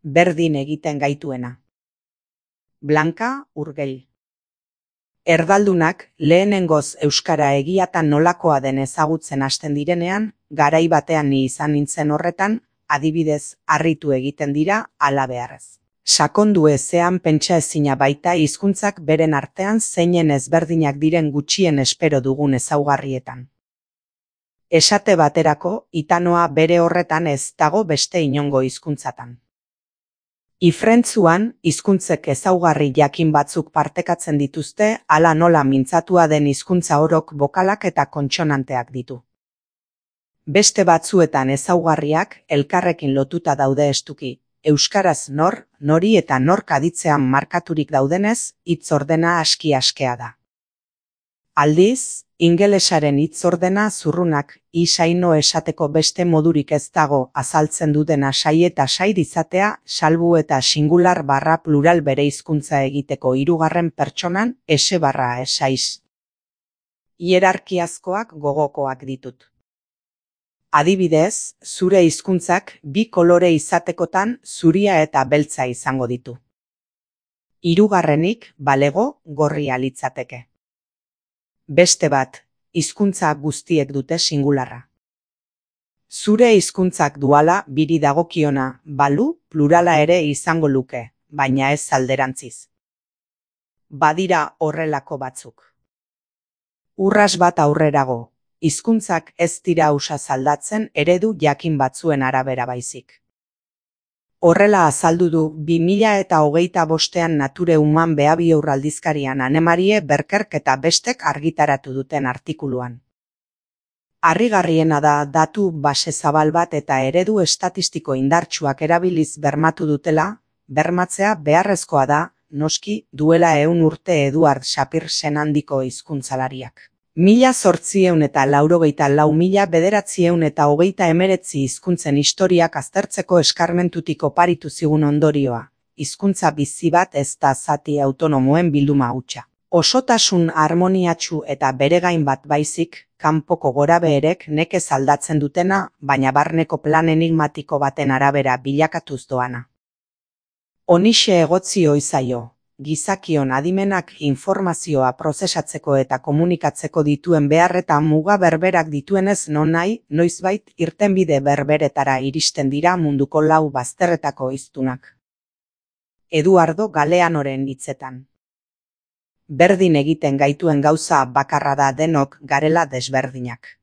berdin egiten gaituena. Blanka Urgell. Erdaldunak lehenengoz euskara egiatan nolakoa den ezagutzen hasten direnean, garai batean ni izan nintzen horretan, adibidez, harritu egiten dira hala beharrez. Sakondu ezean pentsa ezina baita hizkuntzak beren artean zeinen ezberdinak diren gutxien espero dugun ezaugarrietan. Esate baterako, itanoa bere horretan ez dago beste inongo hizkuntzatan. Ifrentzuan, hizkuntzek ezaugarri jakin batzuk partekatzen dituzte, hala nola mintzatua den hizkuntza orok bokalak eta kontsonanteak ditu. Beste batzuetan ezaugarriak elkarrekin lotuta daude estuki, euskaraz nor, nori eta nork aditzean markaturik daudenez, hitz ordena aski-askea da. Aldiz, ingelesaren hitz ordena zurrunak isaino esateko beste modurik ez dago azaltzen dutena sai eta said izatea, salbu eta singular barra plural bere hizkuntza egiteko hirugarren pertsonan ese barra esaiz. Hierarkiazkoak gogokoak ditut. Adibidez, zure hizkuntzak bi kolore izatekotan zuria eta beltza izango ditu. Hirugarrenik balego gorria litzateke. Beste bat, hizkuntza guztiek dute singularra. Zure hizkuntzak duala biri dagokiona, balu plurala ere izango luke, baina ez alderantziz. Badira horrelako batzuk. Urras bat aurrerago, hizkuntzak ez dira ausaz aldatzen eredu jakin batzuen arabera baizik. Horrela azaldu du 2025ean Nature Human Behavior aldizkarian Anne-Marie Berkerk eta bestek argitaratu duten artikuluan. Harrigarriena da datu base zabal bat eta eredu estatistiko indartsuak erabiliz bermatu dutela, bermatzea beharrezkoa da, noski, duela 100 urte Eduard Shapir senandiko hizkuntzalariak. 1894–1929 hizkuntzen historiak aztertzeko eskarmentutik oparitu zigun ondorioa. Hizkuntza bizi bat ez da zati autonomoen bilduma hutsa. Osotasun harmoniatsu eta beregain bat baizik, kanpoko gorabeherek nekez aldatzen dutena, baina barneko plan enigmatiko baten arabera bilakatuz doana. Honixe egotzi ohi zaio. Gizakion adimenak informazioa prozesatzeko eta komunikatzeko dituen behar eta muga berberak dituenez nonahi, noizbait irtenbide berberetara iristen dira munduko 4 bazterretako hiztunak. Eduardo Galeanoren hitzetan. Berdin egiten gaituen gauza bakarra da denok garela desberdinak.